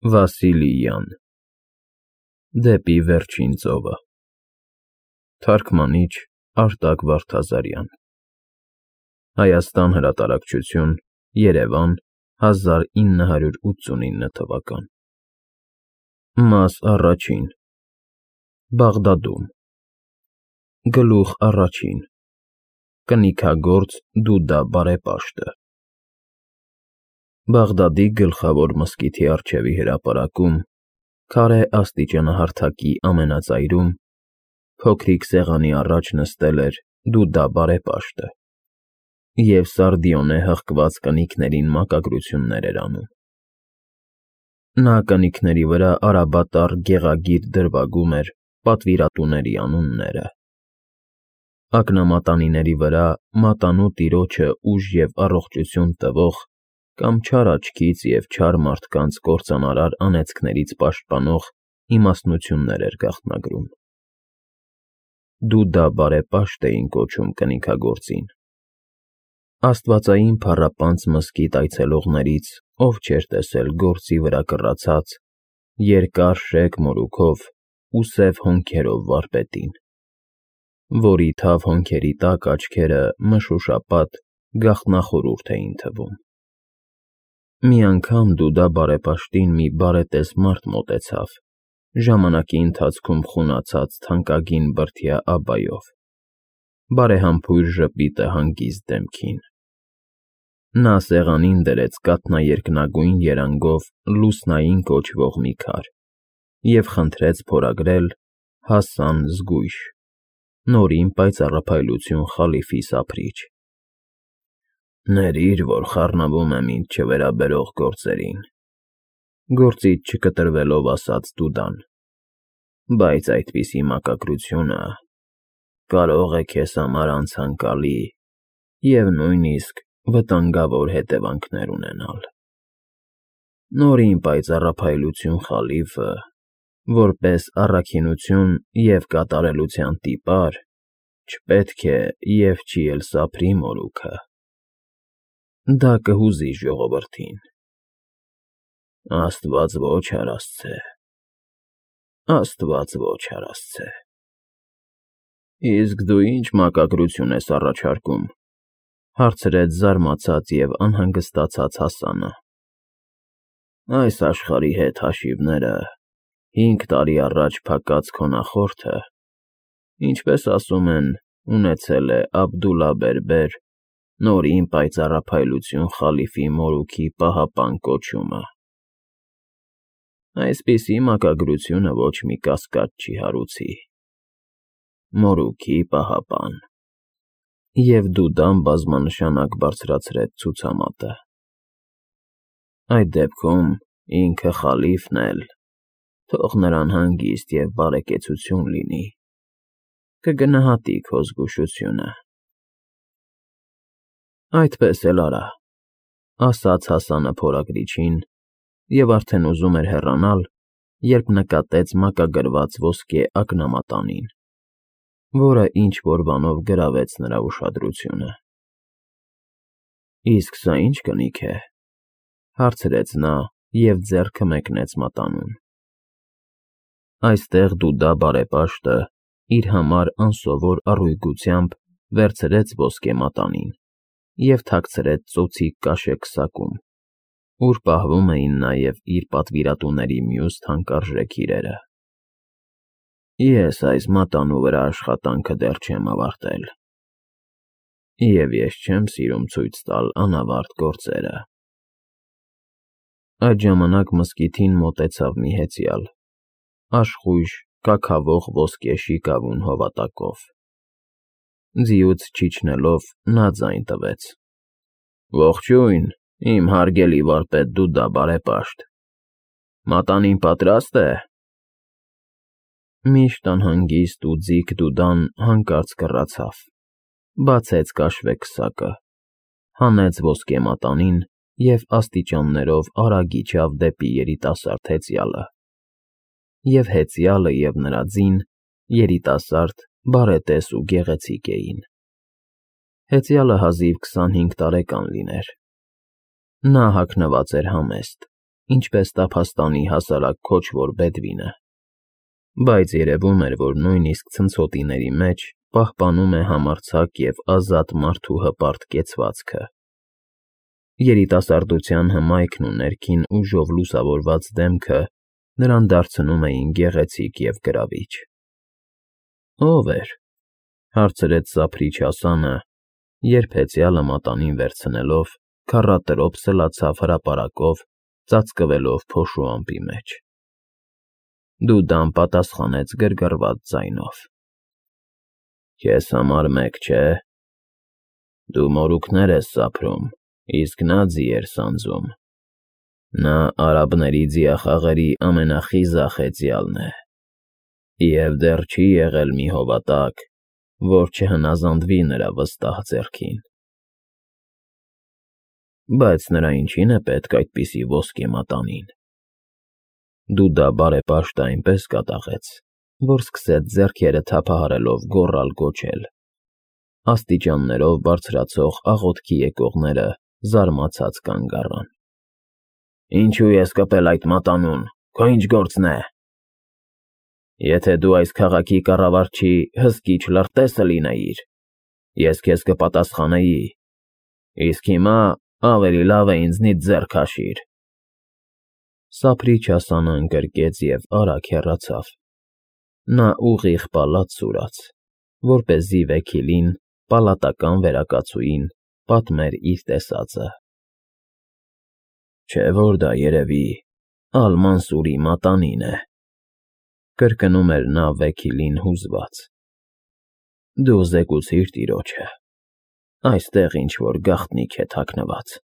Վասիլիյան Դեպի վերջին ծովը Թարգմանիչ Արտակ Վարդազարյան Հայաստան հրատարակչություն Երևան 1989 թվական Մաս առաջին Բաղդադում Գլուխ առաջին Կնիքագործ Դուդա բարեպաշտը Բաղդադի գլխավոր մզկիթի առջևի հրապարակում, քարե աստիճանահարթակի ամենածայրում, փոքրիկ սեղանի առաջ նստել էր Դուդա բարեպաշտը և սարդիոնե հղկված կնիկներին մակագրություններ էր անում։ Նա կնիկների վրա արաբատառ գեղագիր դրվագում էր պատվիրատուների անունները։ Ակնամատանիների վրա մատանու տիրոջը ուժ և առողջություն տվող կամ չար աչքից և չար մարդկանց կործանարար անեծքներից պաշտպանող իմաստնություններ էր գաղտնագրում։ Դուդա բարեպաշտ էին կոչում կնիքագործին։ Աստվածային փառապանծ մզկիթ այցելողներից ով չէր տեսել գործի վրա կռացած, երկար շեկ մորուքով ու սև հոնքերով վարպետին, որի թավ հոնքերի տակ աչքերը մշուշապատ գաղտնախորուրդ էին թվում։ Մի անգամ Դուդա բարեպաշտին մի բարետես մարդ մոտեցավ, ժամանակի ընթացքում խունացած թանկագին բրդյա աբայով, բարեհամբույր ժպիտը հանգիստ դեմքին։ Նա սեղանին դրեց կաթնաերկնագույն երանգով լուսնային կոչվող մի քար և խնդրեց փորագրել Հասան զգույշ, նորին պայծառափայլություն խալիֆի սափրիչ։ Ներիր, որ խառնվում եմ ինձ չվերաբերող գործերին, գործից չկտրվելով ասաց Դուդան, բայց այդպիսի մակագրությունը կարող է քեզ համար անցանկալի և նույնիսկ վտանգավոր հետևանքներ ունենալ։ Նորին պայծառափայլություն խալիֆը, որպես առաքինություն և կատարելության տիպար, չպետք է և չի էլ սափրի մորուքը։ Դա կհուզի ժողովրդին։ Աստված ոչ հարասցե, Աստված ոչ հարասցե։ Իսկ դու ի՞նչ մակագրություն ես առաջարկում, հարցրեց զարմացած և անհանգստացած Հասանը։ Այս աշխարհի հետ հաշիվները 5 տարի առաջ փակած քո նախորդը, ինչպես ասում են, ունեցել է Աբդուլլահ նորին պայծառափայլություն խալիֆի մորուքի պահապան կոչումը։ Այսպիսի մակագրությունը ոչ մի կասկած չի հարուցի։ Մորուքի պահապան։ Եվ Դուդան բազմանշանակ բարձրացրեց ցուցամատը։ Այդ դեպքում ինքը խալիֆն էլ, թող նրան հանգիստ և բարեկեցություն լինի, կգնահատի քո զգուշությունը։ Այդպես էլ արա, ասաց Հասանը փորագրիչին և արդեն ուզում էր հեռանալ, երբ նկատեց մակագրված ոսկե ակնամատանին, որը ինչ-որ բանով գրավեց նրա ուշադրությունը։ Իսկ սա ի՞նչ կնիք է, հարցրեց նա և ձեռքը մեկնեց մատանուն։ Այստեղ Դուդա բարեպաշտը իր համար անսովոր առույգությամբ վերցրեց ոսկե մատանին և թաքցրեց ծոցիկ կաշեկ սակում, ուր պահվում էին նաև իր պատվիրատուների մյուս թանկարժեք իրերը։ Ես այս մատանու վրա աշխատանքը դեռ չեմ ավարտել, և ես չեմ սիրում ցույց տալ անավարտ գործերը։ Այդ ժամանակ մզկիթին մոտեցավ մի հեծյալ, աշխույժ կաքավող ոսկե շիկավուն հովատակով։ Ձիուց չիջնելով նա ձայն տվեց. Ողջույն, իմ հարգելի վարպետ Դուդա բարեպաշտ, մատանին պատրաստ է։ Միշտ անհանգիստ ու ձիգ Դուդան հանկարծ կռացավ, բացեց կաշվե քսակը, հանեց ոսկե մատանին և աստիճաններով արագ իջավ դեպի երիտասարդ հեծյալը։ Եվ հեծյալը և նրա ձին երիտասարդ, բարետես ու գեղեցիկ էին։ Հեծյալը հազիվ 25 տարեկան լիներ։ Նա հագնված էր համեստ, ինչպես տափաստանի հասարակ քոչվոր Բեդվինը, բայց երևում էր, որ նույնիսկ ցնցոտիների մեջ պահպանում է համարձակ և ազատ մարդու հպարտ կեցվածքը։ Երիտասարդության հմայքն ու ներքին ուժով լուսավորված դեմքը նրան դարձնում էին գեղեցիկ և գրավիչ։ «Ո՞վ էր,֊ հարցրեց սափրիչ Հասանը, երբ հեծյալը մատանին վերցնելով, քառատրոփ սլացավ հրապարակով, ծածկվելով փոշու ամպի մեջ։ Դուդան պատասխանեց գրգռված ձայնով. «Քեզ համար մեկ չէ։ Դու մորուքներ ես սափրում, իսկ նա ձի էր սանձում։ Նա արաբների ձիախաղերի ամենախիզախ հեծյալն է, և դեռ չի եղել մի հովատակ, որ չհնազանդվի նրա վստահ ձեռքին։ Բայց նրա ինչի՞ն է պետք այդպիսի ոսկե մատանին»։ Դուդա բարեպաշտը այնպես կատաղեց, որ սկսեց ձեռքերը թափահարելով գոռալ֊գոչել։ Աստիճաններով բարձրացող աղոթքի եկողները զարմացած կանգ առան։ «Ինչու ես կպել այդ մատանուն, քո ի՞նչ գործն է։ Եթե դու այս քաղաքի կառավարչի հսկիչ լրտեսը լինեիր, ես քեզ կպատասխանեի, իսկ հիմա ավելի լավ է ինձնից ձեռ քաշիր»։ Սափրիչ Հասանը ընկրկեց և արագ հեռացավ։ Նա ուղիղ պալատ սուրաց, որպեսզի վեքիլին, պալատական վերակացուին, պատմեր իր տեսածը։ «Չէ՞ որ դա երևի Ալ֊Մանսուրի մատանին է,֊ կրկնում էր նա վեքիլին հուզված։ «Դու զեկուցիր տիրոջը, այստեղ ինչ֊որ գաղտնիք է թաքնված»։